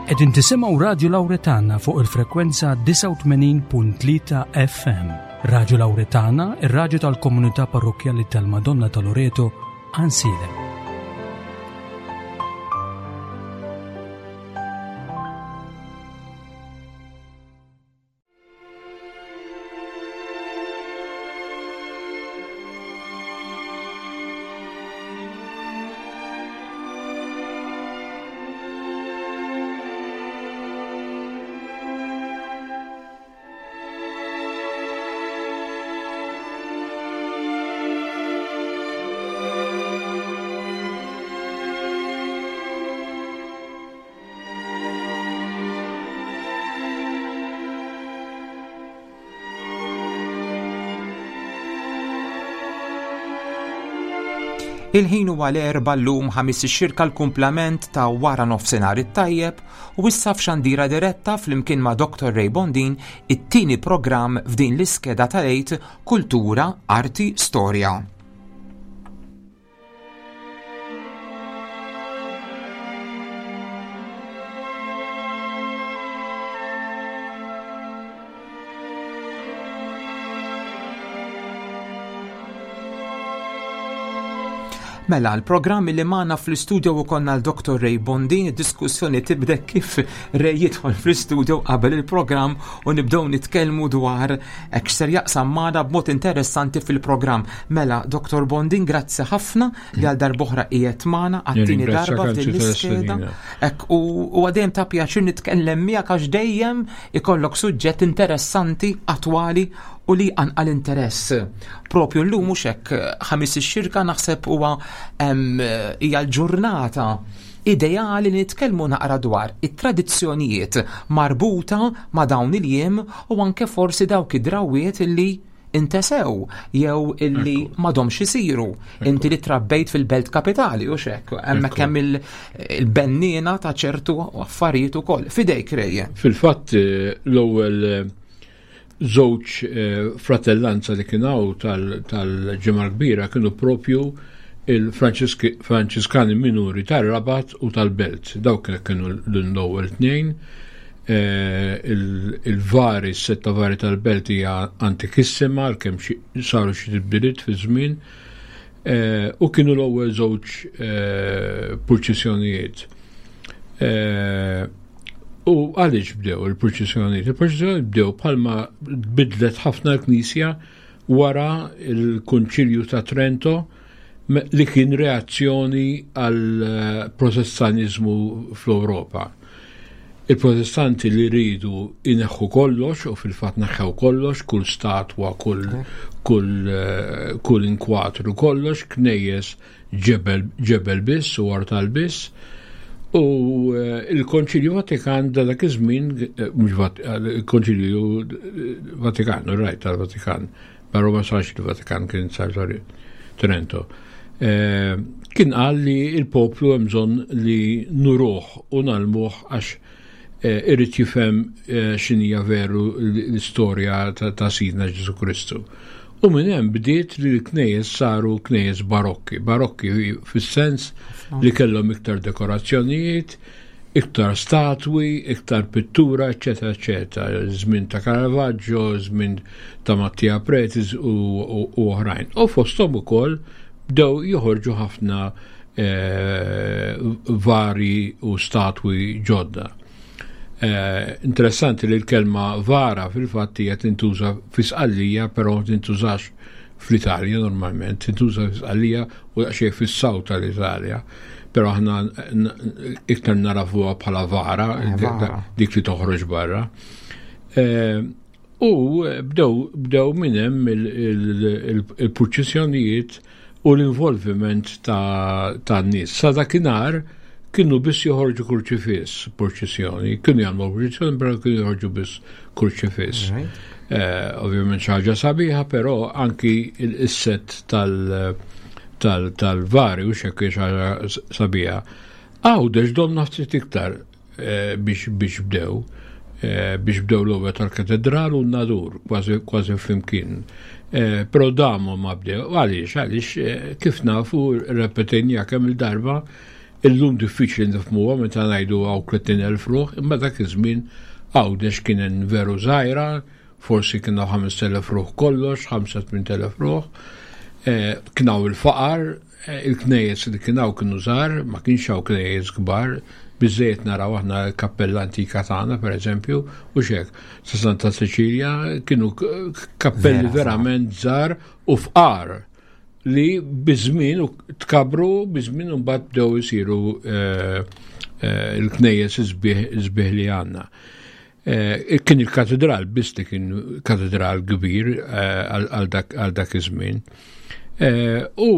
Qegħdin tisimgħu Radju Lawretana fuq il-frekwenza 89.3 FM. Radju Lawretana, ir-radju tal-komunità parrokkjali tal-Madonna ta' Loreto, Għansielem. Il-ħin huwa l-erba llum ħamis ix-xirka l-kumplament ta' wara nofsinhar it-tajjeb u issa f'xandira diretta flimkien ma' Dr. Ray Bondin it-tieni programm f'din l-iskeda tal-għid Kultura, Arti, Storja. Mela, l-programm li magħna fl-istudio u konna l-Dr. Ray Bondin, id-diskussjoni tibda kif Ray jidħol fl-istudio qabel il-programm u nibdew nitkellmu dwar hekk ser jaqsam magħna b'mod interessanti fil-programm. Mela, Dr. Bondin, grazzi ħafna li għal darb'oħra qiegħed magħna għat-tieni darba f'din l-iskeda. Hekk u għadejjem ta' pjaċir nitkellem miegħek għax dejjem ikollok suġġett interessanti, attwali u li jqanqal interess. Propju llum mhux hekk ħamis ix-xirka naħseb huwa hija l-ġurnata ideali li nitkellmu naqra dwar it-tradizzjonijiet marbuta ma' dawn il-jiem u anke forsi dawk id-drawwiet li intesew jew illi m'għadhomx isiru. Inti li trabbejt fil-belt kapitali u xek, hemmhekk hemm il-benniena ta' ċertu affarijiet ukoll. Fidejk Rej. Fil-fatt eh, l-ewwel eh, żewġ eh, fratellanza li kien hawn tal-ġimgħa kbira kienu propju il-Franċiskani minuri tar-Rabat u tal-Belt. Dawk kienu l-ewwel tnejn. Eh, il-vari, s-setta vari tal-Belt hija antikissima għalkemm saru xi tibdiliet fi żmien. Eh, u kienu l-ewwel żewġ purċissjonijiet. U għaliex bdew il-purċissjonijiet? Il-purċissjonijiet bdew bħalma bidlet ħafna l-Knisja wara il-Kunċilju ta' Trento li kien reazzjoni għal eh, protestanizmu fl-Ewropa. Il-protestanti li ridu ineħħu kollox u fil-fatt neħħew kollox, kull statwa, kull, kull, eh, kull inkwatru, kollox, knejjes ġebel, ġebel biss u artal biss. U eh, il-Konċilju Vatikan da dak iż-żmien, eh, mhux eh, il-Konċilju Vatikan, rajt tal-Vatikan, però ma sarx il-Vatikan kien sar sorry, Trento. Kien qal li il-poplu hemm bżonn li nuruh u nalmuh għax irid jifhem x'inhija veru l-istorja ta' Sidna Ġesu Kristu. U minn hemm bdiet li l-knejjes saru knejjes barokki, barokki fis-sens li kellhom iktar dekorazzjonijiet, iktar statwi, iktar pittura, eċetera, eċetera. Żmien ta' Caravaggio, żmien ta' Mattia Pretis u oħrajn. U fosthom ukoll bdew joħorġu ħafna eh, vari u statwi ġodda. Eh, interessanti li l-kelma vara fil-fatt hija tintuża fi Sqallija, però tintużax fl-Italja normalment, tintuża fi Sqallija u daqsxejn fis-saw tal-Italja. Però aħna iktar narafuha bħala vara, eh, dik li toħroġ barra. Eh, U bdew bdew minn hemm il-purċissjonijiet u l-involviment tan-nies. Sa dakinhar kienu biss joħorġu kurċifiss purċissjoni, kienu jagħmlu purċissjoni però kienu joħorġu biss kurċifiss. Eh, ovvjament xi ħaġa sabiħa, però anki il-set tal-vari u xekk ħaġa sabiħa. Għawdex domna ftit iktar Eh, biex biex bdew eh, biex bdew l-ewwel tal-katedral u n-nadur kważi kważi flimkien. Eh, però damu ma bdew għaliex għaliex kif nafu repetejnija kemm il-darba Illum diffiċli nifhmuha meta ngħidu hawn 30,000 ruħ, imma dak iż-żmien Għawdex kien veru żgħira, forsi kien hawn 5,000 ruħ kollox, 5-8,000 ruħ. Eh, kien hawn il-faqar, eh, il-knejjes li kien hawn kienu żgħar, ma kienx hawn knejjes kbar, biżejjed naraw aħna l-kappella antika tagħna pereżempju, u xek, sa Santa Cecilia kienu kappelli verament żgħar u fqar li biż-żmien u tkabru biż-żmien u mbagħad bdew isiru eh, eh, l-knejjes isbieħ li għandna. Eh, kien il-katedral biss li kien katedral kbir għal dak iż-żmien. U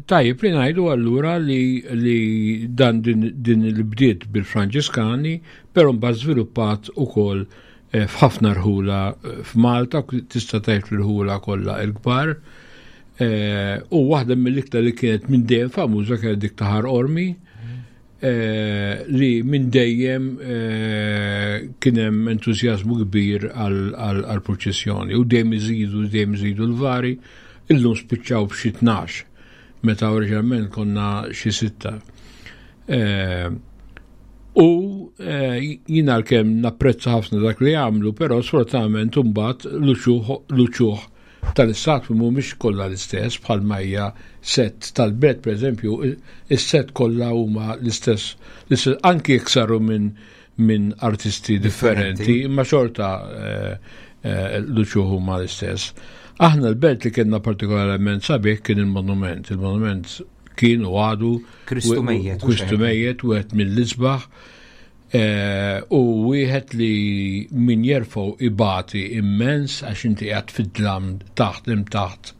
tajjeb li ngħidu allura li, li dan din, din il-bdiet bil-Franġiskani, però mbagħad żviluppat ukoll Eh, f'ħafna rħula eh, f'Malta, tista' tgħid l-rħula kollha l-kbar. Eh, u waħda mill-iktar li kienet minn dejjem famuża kienet dik ta' Ħar Ormi, li minn dejjem kien hemm entużjażmu kbir għall-purċissjoni u dejjem iżidu, dejjem iżidu l-vari, illum spiċċaw b'xi tnax, meta oriġinalment konna xi sitta. U eh, jien għalkemm napprezza ħafna dak li għamlu, però sfortunatament imbagħad l-uċuħ tal-istatwi mhumiex kollha l-istess bħalma hija set tal-bed pereżempju, is-set kollha huma l-istess, anki jekk saru minn min artisti differenti, imma xorta eh, eh, l-uċuħ huma l-istess. Aħna l-belt li kellna partikolarment sabiħ kien il-monument. Il-monument kien u għadu Kristu mejjet. Kristu mejjet, wieħed mill-isbaħ eh, u wieħed li min jerfgħu ibati immens għax inti qiegħed fid-dlam taħt hemm taħt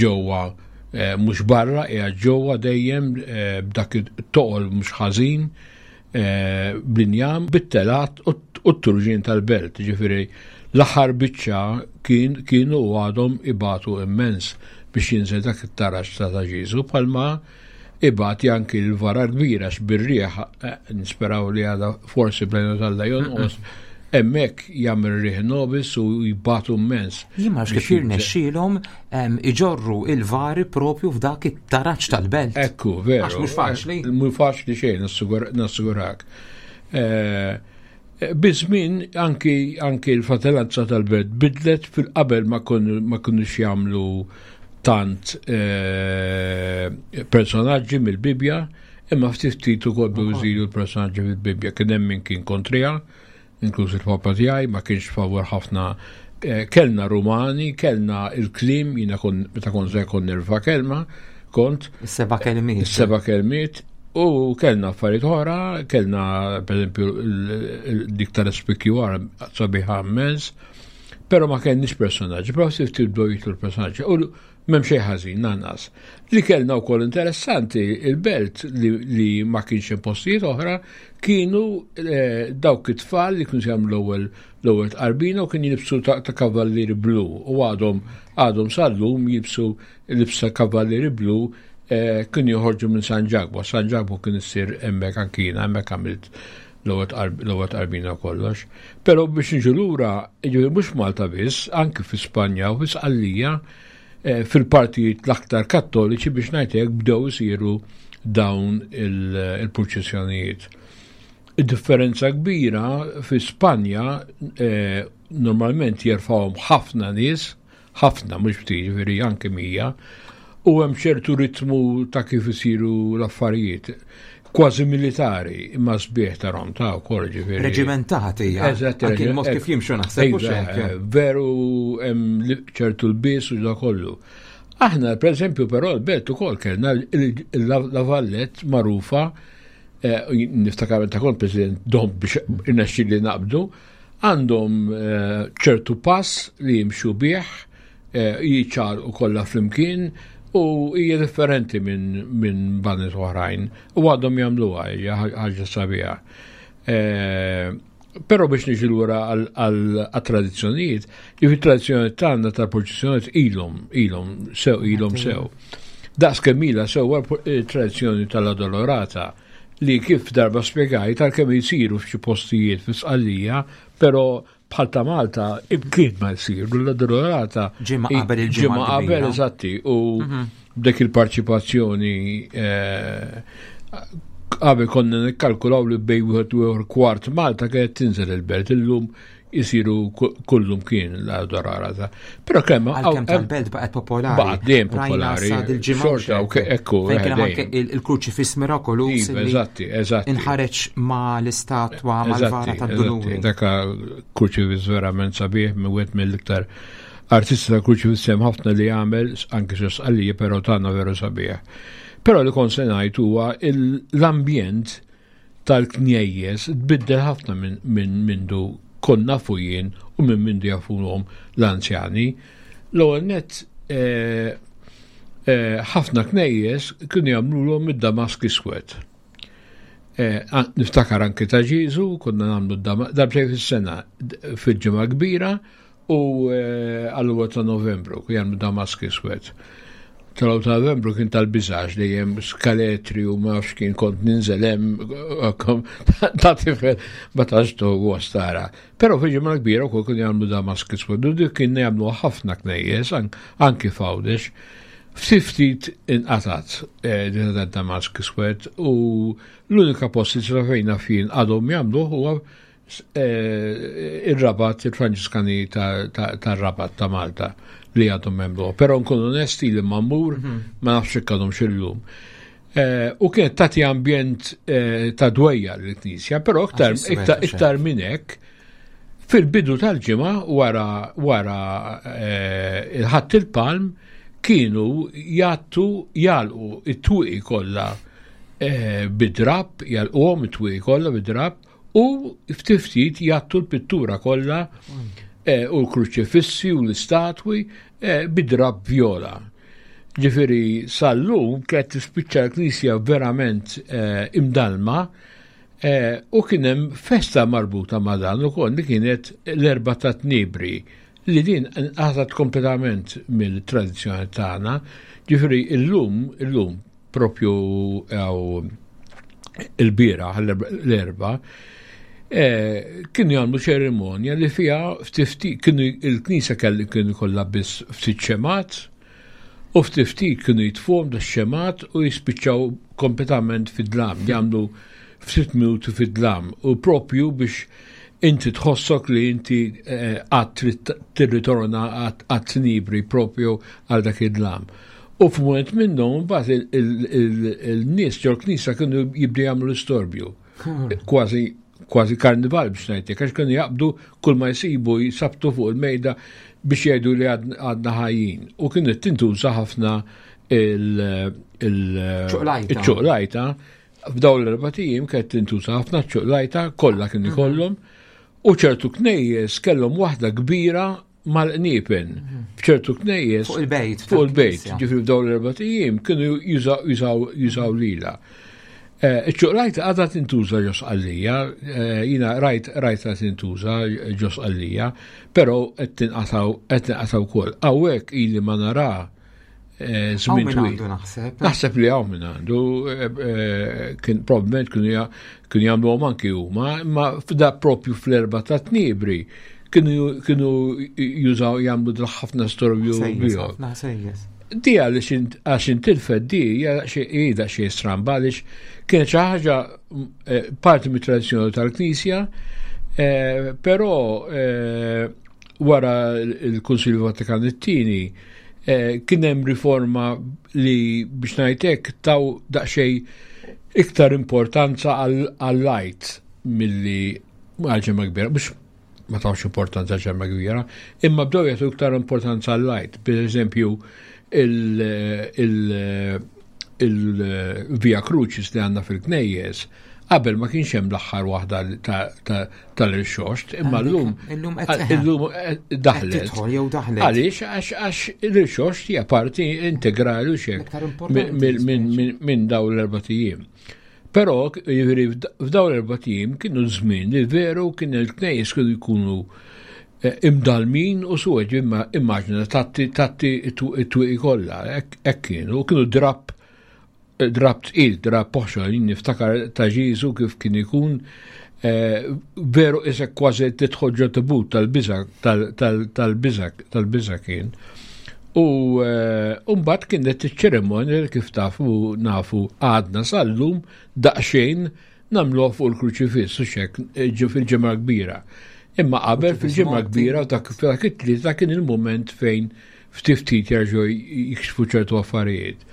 ġewwa eh, mhux barra qiegħed ġewwa dejjem eh, b'dak it-toqol mhux ħażin bl-injam bit-telat u t-turġien tal-belt, ġifieri l-aħħar biċċa kien kienu u għadhom ibatu immens biex jinżel dak it-taraġ ta' ta' Ġieżu bħalma ibati anki l-vara kbira għax bir-riħ eh, nisperaw li għada forsi bl tal jonqos hemmhekk jagħmel riħ nobis u jibatu immens. Jien ma kif jirnexxielhom iġorru il-vari propju f'dak it-taraġ tal-belt. Ekku, veru. Għax mhux faċli. Eh, mhux faċli xejn, nassigurak. Eh, eh, biż-żmien anki anki l-fratellanza tal-belt bidlet fil-qabel ma kinux jagħmlu tant personaġġi mill-Bibja, imma ftit ftit ukoll bdew iżidu l-personaġġi fil-Bibja. Kien hemm min kien kontriha, inkluż il-papa tiegħi ma kienx favur ħafna eh, kellna Rumani, kellna il-klim, jiena kon meta kont żgħir kont nirfa kelma, kont. Is-seba' kelmiet. Is-seba' kelmiet. U kellna affarijiet oħra, kellna pereżempju dik tal-SPQR sabiħa immens, però ma kellniex personaġġi, però ftit tibdew jitlu l-personaġġi. U M'hemm xejn ħażin lanqas. Li kellna wkoll interessanti il-belt li, li ma kienx hemm postijiet oħra kienu eh, dawk it-tfal li kienu jagħmlu l-ewwel l-ewwel tqarbina u kien jilbsu ta', ta kavallieri blu u għadhom għadhom sal-lum jilbsu libsa kavallieri blu eh, kienu joħorġu minn San Ġakbu. San Ġakbu kien issir hemmhekk anki jiena hemmhekk għamilt l-ewwel tqarbina kollox. Però biex niġu lura, jiġifieri mhux Malta biss, anki fi Spanja u fi Sqallija, eh, fil-partijiet l-aktar kattoliċi biex ngħid hekk bdew isiru dawn il-purċissjonijiet. Id-differenza kbira fi Spanja eh, normalment jerfawhom ħafna nies, ħafna mhux ftit, jiġifieri anke 100, u hemm ċertu ritmu ta' kif isiru l-affarijiet. Kważi militari, imma sbieħ tarhom ta' wkoll ġifieri. Reġimentati, Eżatt, anke il-mod kif jimxu naħseb mhux Iva, hekk. eh, Veru hemm ċertu lbies u da kollu. Aħna, per eżempju, però l-belt ukoll kellna la Vallet magħrufa, eh, niftakar meta kont President dom biex irnexxieli naqbdu, Għandhom ċertu pass li jimxu bih, jiċċaqalqu kollha flimkien u hija differenti minn min baned oħrajn u għadhom jagħmluha hija ħaġa sabiħa. Però biex niġi lura għal-tradizzjonijiet, jiġifieri tradizzjonijiet tagħna tal-purċissjonijiet ilhom, ilhom sew, ilhom sew. Daqs kemm ilha sewwa tradizzjoni tal-Addolorata li kif darba spjegajt għalkemm jsiru f'xi postijiet fi Sqallija, però bħal ta' Malta imkien ma jsiru l-Addolorata. Ġimgħa qabel il-ġimgħa. Ġimgħa qabel eżatti u mhm. b'dik il-parċipazzjoni eh, Qabel konna nikkalkulaw li bej wieħed u ieħor kwart Malta kienet tinżel il-belt illum jisiru kullum kien la dorara ta' Però kemm għalkemm tal-belt baqgħet popolari. Baqgħet dejjem popolari. Xorta u ekku. Fejn kien anke il-kruċifiss mirakoluż. Iva, eżatti, eżatti. Inħareġ ma' l-istatwa mal-vara tad-duluri. Daka kruċifiss verament sabiħ minn wieħed mill-iktar artisti ta' kruċifiss hemm ħafna li jagħmel anke xi sqallija però tagħna veru sabiħ. Però li kont se ngħid huwa l-ambjent tal-knejjes tbiddel ħafna minn mindu kont nafu jien u minn mindu jafuhom l-anzjani. L-ewwel nett eh, eh, ħafna knejjes kienu jagħmluhom id-damask iswed. Eh, niftakar anki ta' Ġiżu, konna nagħmlu darbtejn fis-sena fil-ġimgħa kbira U għall-ewwel ta' Novembru kien jagħmlu damask iswed. Tal-ewwel ta' Novembru kien tal-biżax dejjem skaletri u ma nafx kien kont ninżel hemm ta' tifel ma tantx gost tara. Però fil-ġimgħa kbira wkoll kienu jagħmlu damask iswed u dik kien jagħmlu ħafna knejjes anki f'Għawdex. Ftit ftit inqatat eh, din ta' damask iswed u l-unika post li fejna fien għadhom jagħmluh huwa Eh, ir-Rabat, il-Franġiskani tar-Rabat ta' Malta li għadhom membru. Però nkun onesti li ma mmur, mhm. ma nafx jekk għadhom xillum. Eh, u kienet tagħti ambjent eh, ta' dwejja l-Knisja, però iktar iktar minn hekk fil-bidu tal-ġimgħa wara wara il-ħadd il-palm kienu jgħattu jalqu it-twieqi kollha bid-drapp, jalquhom it-twieqi kollha bid-drapp u ftit ftit jgħattu l-pittura kollha eh, u l-kruċifissi u l-istatwi eh, bid-drab vjola. Ġifieri sal-lum kienet tispiċċa l-knisja verament eh, imdalma u kien hemm festa marbuta ma' dan ukoll li kienet l-erba ta' tnibri li din nqatat kompletament mill-tradizzjoni tagħna. Ġifieri illum illum propju għaw il-bira, l-erba, eh, kienu jagħmlu ċerimonja li fiha ftit kienu il-knisja kelli kienu kollha biss ftit xemat u ftit ftit kienu jitfuhom da xemat u jispiċċaw kompletament fid-dlam, jagħmlu ftit minuti fid-dlam u propju biex inti tħossok li inti eh, għad tirritorna għad tnibri propju għal dak id-dlam. U f'mument minnhom mbagħad il-nies ġol knisja kienu jibdu jagħmlu l-istorbju. Kważi kważi karnival biex ngħidlek, għax kienu jaqbdu kull ma jsibu jsabtu fuq il-mejda biex jgħidu li għadna ħajjin. U kienet tintuża ħafna il-ċuqlajta. F'dawn l-erba' ijiem kienet tintuża ħafna ċuqlajta, kollha kien mhm. ikollhom. U ċertu knejjes kellhom waħda kbira mal-qniepen f'ċertu knejjes. Fuq il-bejt. Fuq il-bejt, ġifri f'dawn l-erba' ijiem kienu jużaw lila. Eh, iċ-ċuqlajta għadha tintuża ġo Sqallija, eh, jina rajt rajta tintuża ġo Sqallija, però qed tinqataw qed tinqataw ukoll. Hawnhekk ili ma nara eh, żmien twil. Naħseb. Naħseb li hawn minn għandu, kien probabbilment kienu jagħmluhom anki huma, imma f'da propju fl-erba' ta' tniebri kienu jużaw jagħmlu ħafna storbju bihom. Di għaliex għax intilfet di hija xi stramba għaliex kienet xi ħaġa eh, parti mit-tradizzjoni tal-Knisja, eh, però eh, wara il-Kunsilju Vatikan it-tieni kien hemm riforma li biex ngħidlek taw daqsxejn iktar importanza għall-lajt milli għal ġemma kbira, mhux ma tawx importanza ġemma kbira, imma bdew jagħtu iktar importanza għall-lajt. Per eżempju, il-Via Crucis li għandna fil-Knejjes, qabel ma kienx hemm l-aħħar waħda tal-irxoxt, imma llum illum eh, daħlet. Għaliex għax l-irxoxt hija parti integrali u xek minn dawn l-erba' ijiem. Però, jiġifieri f'dawn l-erbat ijiem kienu żmien li veru kien il-knejjes kienu jkunu eh, imdalmin u suwed imma immaġina tatti tatti it-twieqi kollha, hekk kienu, kienu drapp eh, drapp tqil, drapp poħxol, jien niftakar ta' Ġiżu kif kien ikun eh, veru isek kważi tidħol ġo tibut tal-biża tal-biża tal-biża kien. U eh, mbagħad kienet iċ-ċerimonja li kif tafu nafu għadna sal-lum daqsxejn nagħmluha fuq il-kruċifiss u xek eh, fil-ġimgħa kbira. Imma qabel fil-ġimgħa kbira u dak it-tlieta kien il-mument fejn ftit ftit jerġgħu jikxfu ċertu affarijiet.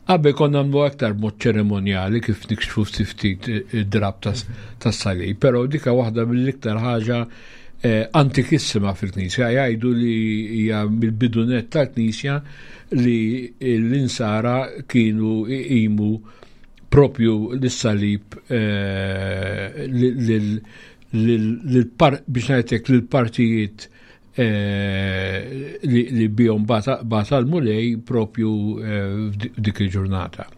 Qabel konna nagħmlu aktar mod ċerimonjali kif nikxfu ftit ftit id-drab tas-salib, però dika waħda mill-iktar ħaġa eh, antikissima fil-Knisja, jgħidu li hija mill-bidunet tal-Knisja li l-insara kienu iqimu propju l-salib eh, biex ngħidlek lill-partijiet Eh, li bihom bata l-mulej propju eh, f'dik il-ġurnata.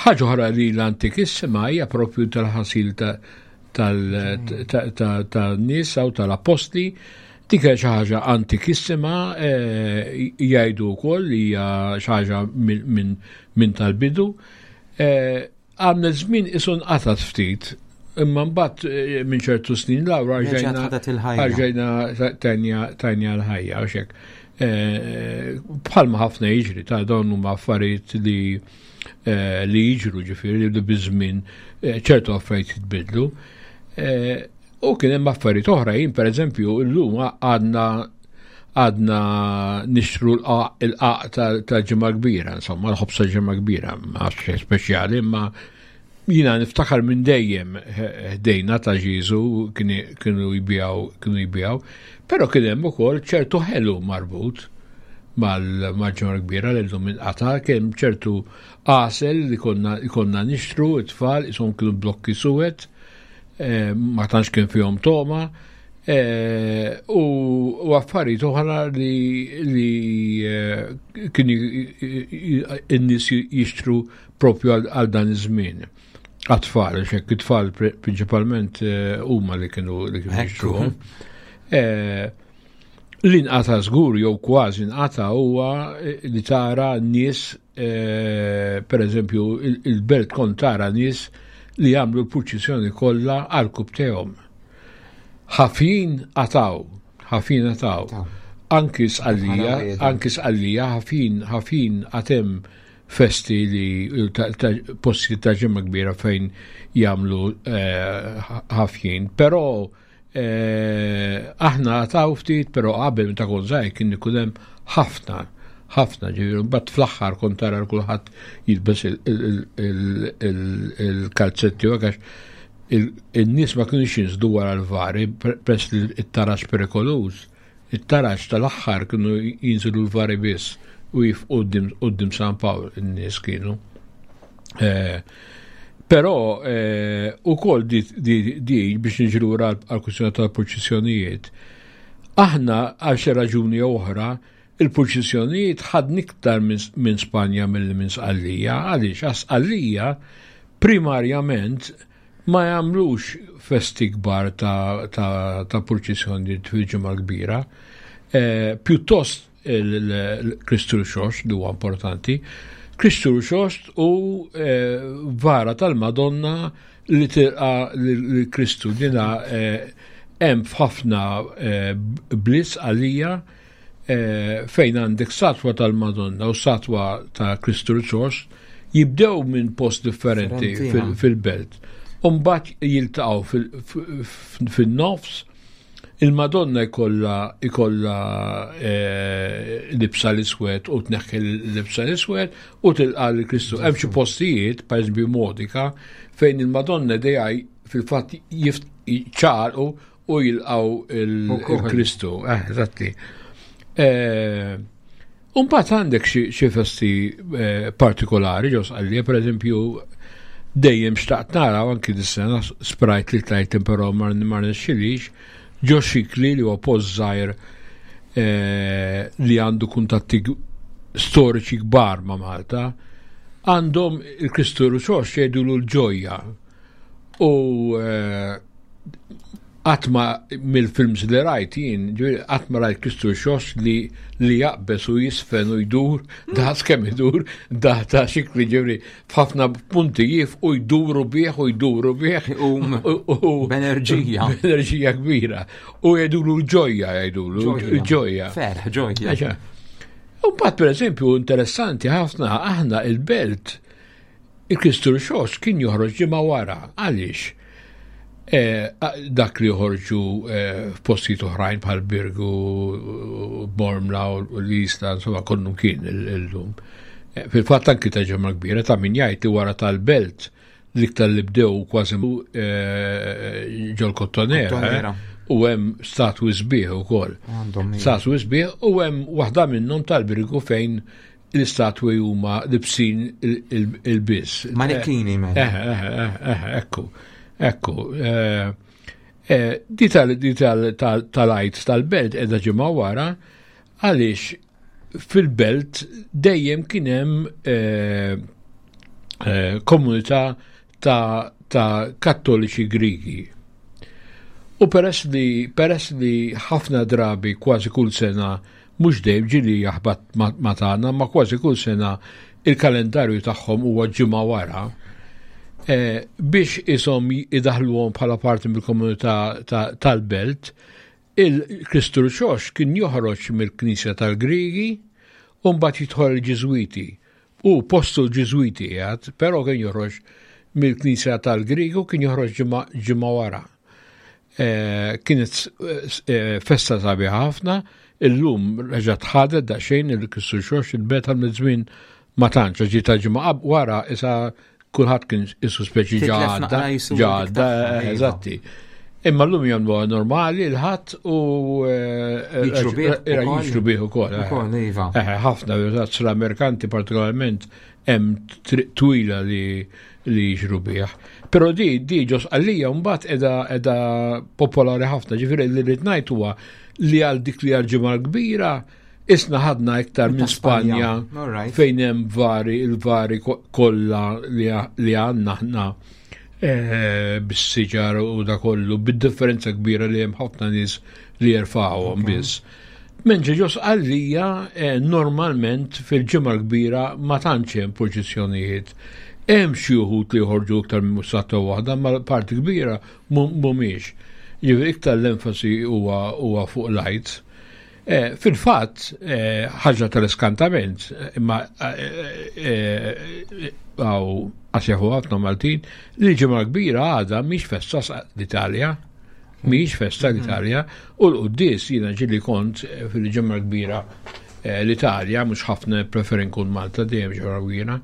Ħaġa oħra li l-antikissima hija propju tal-ħasil tan-nies u tal-apostli dik hija xi ħaġa antikissima eh, jgħidu wkoll li hija xi ħaġa minn tal-bidu. Għamlet żmien isu nqatgħet ftit, imma mbagħad eh, minn ċertu snin lawra rġajna rġajna tajnja l-ħajja għax hekk. Eh, bħalma ħafna jiġri ta' dawn huma affarijiet li eh, li jiġru ġifieri li biż-żmien ċertu affarijiet jitbidlu. U kien hemm affarijiet oħra jien pereżempju llum għadna għadna nixtru l-qaq tal-ġimgħa kbira, insomma l-ħobż tal-ġimgħa kbira, ma xejn speċjali, imma jina niftakar minn dejjem ħdejna ta' Ġiżu kienu jbijaw, kienu jbijaw, però kien hemm ukoll ċertu ħelu marbut mal-ġimgħa kbira li llum inqata' kien ċertu għasel li konna nixtru it-tfal ishom kienu blokki suwed Eh, ma tantx kien fihom toma, eh, u affarijiet oħra li eh, kienu n-nies jixtru propju għal dan iż-żmien. Għat-tfal, xek it-tfal prinċipalment huma li kienu li kienu jixtruhom. L-inqata żgur jew kważi nqata huwa li tara nies Eh, per eżempju, il-belt kont tara nies li jagħmlu l-purċissjoni kollha għal kubtejhom. Ħafin għataw, ħafin għataw. Anki sqallija, anki sqallija, ħafin, ħafin għatem festi li posti ta' ġimma kbira fejn jagħmlu eh, ħafjin, però Eh, aħna għataw ftit, pero qabel meta kont żgħir kien ikun hemm ħafna, ħafna ġifieri mbagħad fl-aħħar kont tara kulħadd jilbes il-kalzetti u għax in-nies ma kienux jinżdu wara l-vari press li t-taraġ perikoluż. It-taraġ tal-aħħar kienu jinżlu l-vari biss u jifqu qudiem San Pawl in-nies kienu. Eh, però eh, ukoll di, di, biex niġru għal kwistjoni tal-purċissjonijiet, aħna għal xi raġuni oħra il-purċissjonijiet ħadni iktar minn Spanja milli minn Sqallija, għaliex għax Sqallija primarjament ma jagħmlux festi kbar ta', ta, ta purċissjonijiet fil-ġimgħa kbira. Eh, pjuttost il-Kristu Rxoxt li huwa importanti. Kristu Rxoxt u eh, vara tal-Madonna li tilqa l-Kristu dina eh, hemm f'ħafna eh, bliss għalija fejn għandek satwa tal-Madonna u satwa ta' Kristu Rxoxt jibdew minn post differenti fil-belt. Umbat jiltaqgħu fil-nofs Il-Madonna jkollha jkollha eh, libsa l-iswed u tneħħi l-libsa l-iswed u tilqa' lil Kristu. Hemm xi postijiet, pereżempju Modika, fejn il-Madonna dejaj fil-fatt ċaqalqu u jilqgħu il-Kristu. Eh, eżatti. Eh, Umbagħad għandek xi festi eh, partikolari ġo Sqallija, pereżempju dejjem xtaqt nara anki dis-sena sprajt li tlajt però ma rnexxilix ġo Xikli li huwa post żgħir eh, li għandu kuntatti storiċi kbar ma' Malta, għandhom il-Kristu Ruxox jgħidulu l-ġojja. U eh, qatt ma mill-films li rajt jien, qatt ma rajt Kristu Xox li li jaqbes u jisfen u jdur, da kemm idur, da ta' xikli ġifieri f'ħafna punti jif u jduru bih u jduru bih. U b'enerġija. B'enerġija kbira. U jgħidulu ġojja jgħidulu ġojja. Ferħ, ġojja. U mbagħad pereżempju interessanti ħafna aħna il-belt il-Kristu Rxox kien joħroġ ġimgħa wara. Għaliex? Eh, dak li joħorġu eh, f'postijiet oħrajn bħal Birgu, Bormla u l-Isla, insomma kollu kien illum. Eh, fil-fatt anki ta' ġemma kbira ta' min jgħid li wara tal-belt l-iktar li bdew kważi ġol kottonera. U hemm statwi sbieħ ukoll. Statwi sbieħ u hemm waħda minnhom tal-Birgu fejn l-istatwi huma libsin il-biss. Manikini, mela. Eh, eh, eh, ekku, ekku. Di tal-għajt tal-belt edha ġimgħa wara għaliex fil-belt dejjem kien hemm komunità ta' kattoliċi Grigi. U peress li peress li ħafna drabi kważi kull sena mhux dejjem ġieli jaħbat ma' tagħna, ma kważi kull sena il-kalendarju tagħhom huwa ġimgħa wara, eh, biex ishom idaħluhom bħala parti mill-komunità tal-belt, il-Kristu Rxox kien joħroġ mill-Knisja tal-Grigi u mbagħad jidħol il-Ġiżwiti. U postu l-Ġiżwiti qiegħed, però kien joħroġ mill-Knisja tal-Grigi u kien joħroġ ġimgħa wara. Eh, kienet eh, festa sabiħa ħafna, illum reġa' tħadet daqsxejn il-Kristu Xox il-beta mill-żmien ma tantx ġi ta' ġimgħa wara isa kulħadd kien isu speċi ġadda, ġadda, eh, iva. eżatti. Imma l-lum jagħmluha normali l-ħadd u jiġru bih ukoll. Iva. Ħafna l-Amerikanti partikolarment hemm triq twila li li jiġru bih. Però di di ġo Sqallija mbagħad qiegħda qiegħda popolari ħafna, ġifieri li rrid ngħid huwa li għal dik li għal ġimgħa kbira isna ħadna iktar minn Spanja fejn hemm vari il-vari kollha li għandna aħna eh, bis-siġar u da kollu, bid-differenza kbira li hemm ħafna nies li jerfgħuhom biss. Menġa ġo Sqallija eh, normalment fil-ġimgħa kbira ma tantx hemm purċissjonijiet. Hemm xi wħud li joħorġu iktar minn mussata waħda, ma parti kbira mhumiex. Ġifieri iktar l-enfasi huwa fuq l-għid. Eh, fil-fatt, eh, ħaġa tal-iskantament, imma għaw għasjaħu ħafna Maltin, li ġimgħa kbira għadha mhix festa l-Italja. Mhijiex festa l-Italja u l-quddies jiena ġieli kont eh, fil-ġimgħa kbira eh, l-Italja, mhux ħafna preferi nkun Malta dejjem ġimgħa kbira,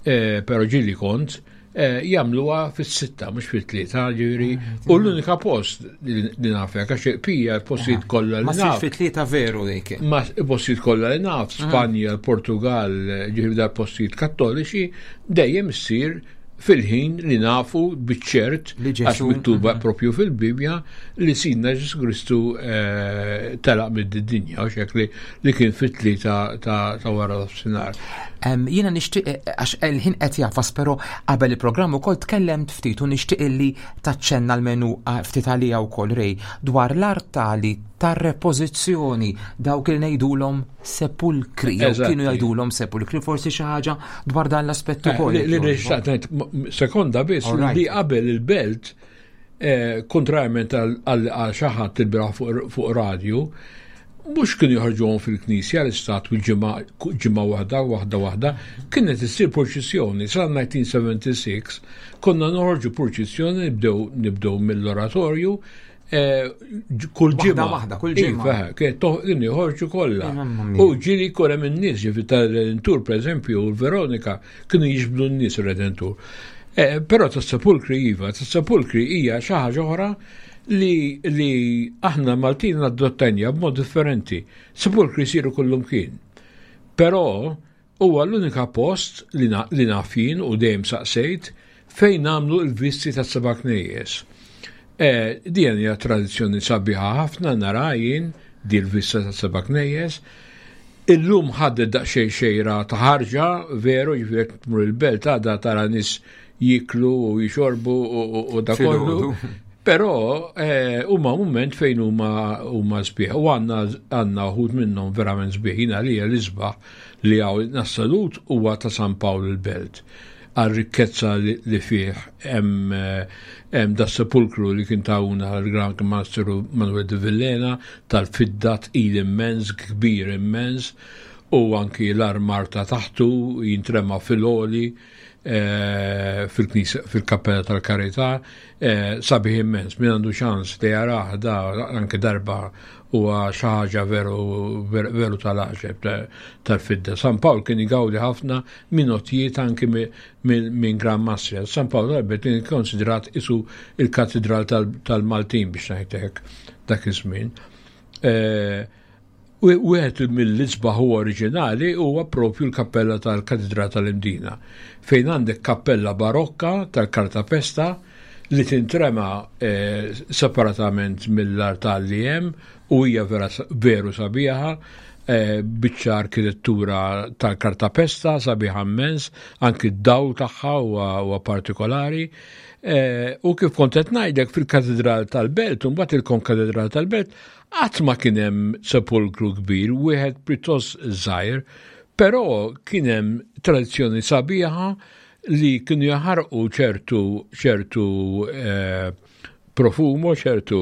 eh, però ġieli kont jagħmluha fis-sitta mhux fit-tlieta, ġifieri ah, u l-unika post li naf hekk għax pija l-postijiet kollha li naf. fit-tlieta veru dik. Ma postijiet kollha li naf, ah. Spanja, Portugal, ġifieri dal-postijiet kattoliċi dejjem issir fil-ħin li nafu biċ-ċert għax miktuba mhm. propju fil-Bibja li Sidna Ġesu Kristu eh, telaq mid-dinja u xek li li kien fit-tlieta ta' wara nofsinhar. Jiena nixtieq eh, għax il-ħin qed jafas però qabel il-programm ukoll tkellemt ftit u nixtieq li taċċenna l-menu eh, ftit għalija wkoll rej dwar l-artali tar-repożizzjoni dawk li ngħidulhom sepulkri, jew kienu jgħidulhom sepulkri, forsi xi ħaġa dwar dan l-aspett eh, ukoll. Li xtaqt sekonda biss li qabel il-belt eh, kontrarjament għal xi ħadd il-biraħ fuq radju, mhux kienu joħorġuhom fil-knisja l-istatwi ġimgħa waħda waħda waħda, kienet issir purċissjoni sa 1976 konna noħorġu purċissjoni nibdew nibdew mill-oratorju Eh, kull ġimgħa. Waħda, kull ġimgħa. Iva, kien toħdin joħorġu kollha. U ġieli jkun hemm in-nies, ġifi tal-Redentur pereżempju, u l-Veronika kienu jiġbdu n-nies ir-Redentur. Eh, però tas-sepulkri iva, tas-sepulkri hija xi ħaġa oħra li li aħna Maltin adottajnija b'mod differenti. Sepulkri jsiru kullum kien. Però Huwa l-unika post li li naf jien u dejjem saqsejt fejn nagħmlu l-visti tas-seba' knejjes. Eh, din hija tradizzjoni sabiħa ħafna nara jien di l-vista tas-seba' knejjes. Illum ħadet daqsxejn xejra ta' ħarġa, veru, ġifieri jekk tmur il-belt għadha tara nies jiklu u jixorbu u da kollu. Però eh, huma mument fejn huma huma sbieħ u għandna għandna uħud minnhom verament sbieħ jiena li l-isbaħ li hawn nassalut huwa ta' San Pawl il-Belt għal rikkezza li fih hemm eh, da sepulkru li kien tawna l-Grand Master Manuel de Villena tal-fidda tqil immens, kbir immens. u anki l-armar ta' taħtu jintrema fil-oli eh, fil-knisja fil-kappella tal-Karità eh, sabiħ immens min għandu ċans li jarah da anke darba huwa xi ħaġa veru veru tal-għaġeb tal-fidda. San Pawl kien igawdi ħafna minn għotjiet anki minn Gran Mastri. San Pawl tal-Belt kien ikkonsidrat isu il-katedral tal-Maltin biex ngħidlek dak iż-żmien. Eh, wieħed mill-isbaħ u oriġinali huwa propju l-kappella tal-Katedral tal-Imdina, fejn għandek kappella barokka tal-kartapesta li tintrema eh, separatament mill-artal li hemm u hija vera veru sabiħa, eh, biċċa arkitettura tal-kartapesta sabiħa immens, anki d-dawl tagħha huwa partikolari. Eh, u kif kont qed ngħidlek fil-Katedral tal-Belt, u mbagħad il-Konkatedral tal-Belt, qatt ma kien hemm sepolkru kbir, wieħed pjuttost żgħir, però kien hemm tradizzjoni sabiħa li kienu jaħarqu ċertu ċertu eh, profumo, ċertu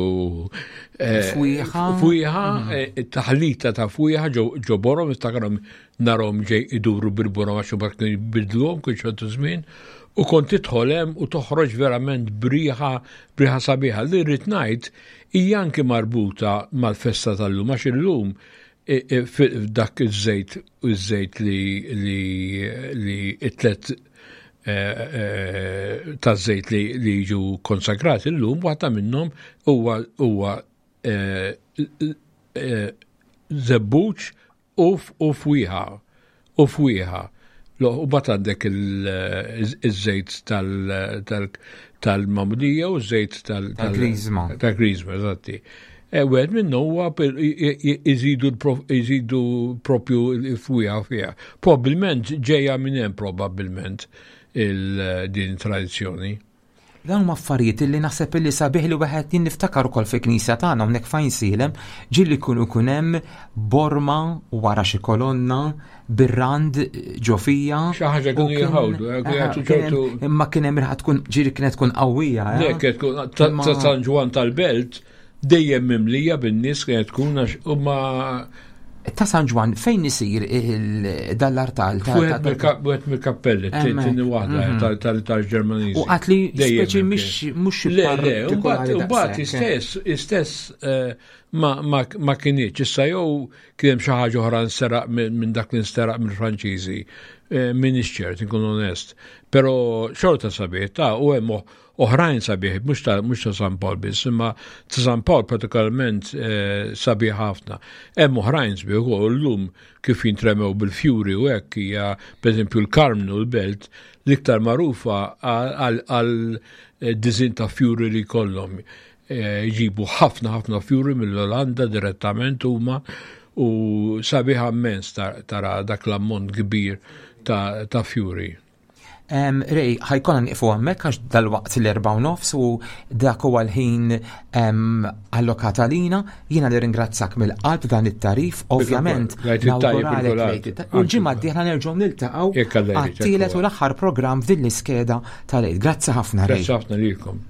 eh, fwieħa, fwieħa mhm. eh, taħlita ta' fwieħa ġo borom, niftakarhom narhom ġej iduru bil-borom għax imbagħad kienu jbidluhom kull ċertu żmien, u kont tidħol hemm u toħroġ verament briħa briħa sabiħa li rrid ngħid hija anki marbuta mal-festa tal-lum għax illum dak iż-żejt iż-żejt li li li it-tlet eh, eh, ta' żejt li li jiġu konsagrati llum waħda minnhom huwa huwa eh, żebbuġ U u fwieħa. U fwieħa. U bat għandek il-żejt tal-mamdija u żejt tal-grizma. Tal-grizma, eżatti. E, wieħed minnu huwa iżidu iżidu propju l-fwieħa fiha. Probabilment ġejja minn hemm probabbilment il-din tradizzjoni. Dawn huma affarijiet illi naħseb illi sabiħ li wieħed jien niftakar ukoll fil-knisja tagħna hawnhekk fejn sielem ġieli jkun ikun hemm borma wara xi kolonna bir-rand ġo fija. Xi ħaġa kienu jħawdu, jagħtu ċertu. Imma kien hemm riħa tkun ġieli kienet tkun qawwija. Eh? Le, kienet tkun ta' San Ġwann tal-Belt Dejjem mimlija bin-nies kienet tkun għax huma Ta' San Ġwann fejn isir dal-artal? Wieħed mill-kappelli, tieni waħda mhm. tal-Ġermaniżi. U qatt li speċi mhux mhux Le, le, mbagħad istess istess eh, ma kinitx. Issa jew kien hemm xi ħaġa oħra nseraq minn dak li nsteraq mill-Franċiżi. Eh, M'iniex ċert, inkun onest. Però xorta sabiħ ta' u hemm oħrajn sabiħ, mhux ta' mhux ta' San Pawl biss, imma ta' San Pawl partikolarment eh, sabiħ ħafna. Hemm oħrajn sbieħ ukoll llum kif jintremew bil-fjuri u hekk hija pereżempju l-Karmnu l-belt l-iktar magħrufa għal eh, diżin ta' fjuri li jkollhom. Eh, jġibu ħafna ħafna fjuri mill-Olanda direttament huma u sabiħ immens tara dak l-ammont kbir ta' fjuri. Rej, ħajkonna nieqfu hemmhekk għax dal-waqt l-erba' u nofs u dak huwa l-ħin allokat għalina. Jiena nirringrazzak mill-qalb dan it-tarif, ovvjament. U l-ġimgħa d-dieħla nerġgħu niltaqgħu għat-tielet u l-aħħar programm f'din l-iskeda tal-għid. Grazzi ħafna, Rej. Grazzi ħafna lilkom.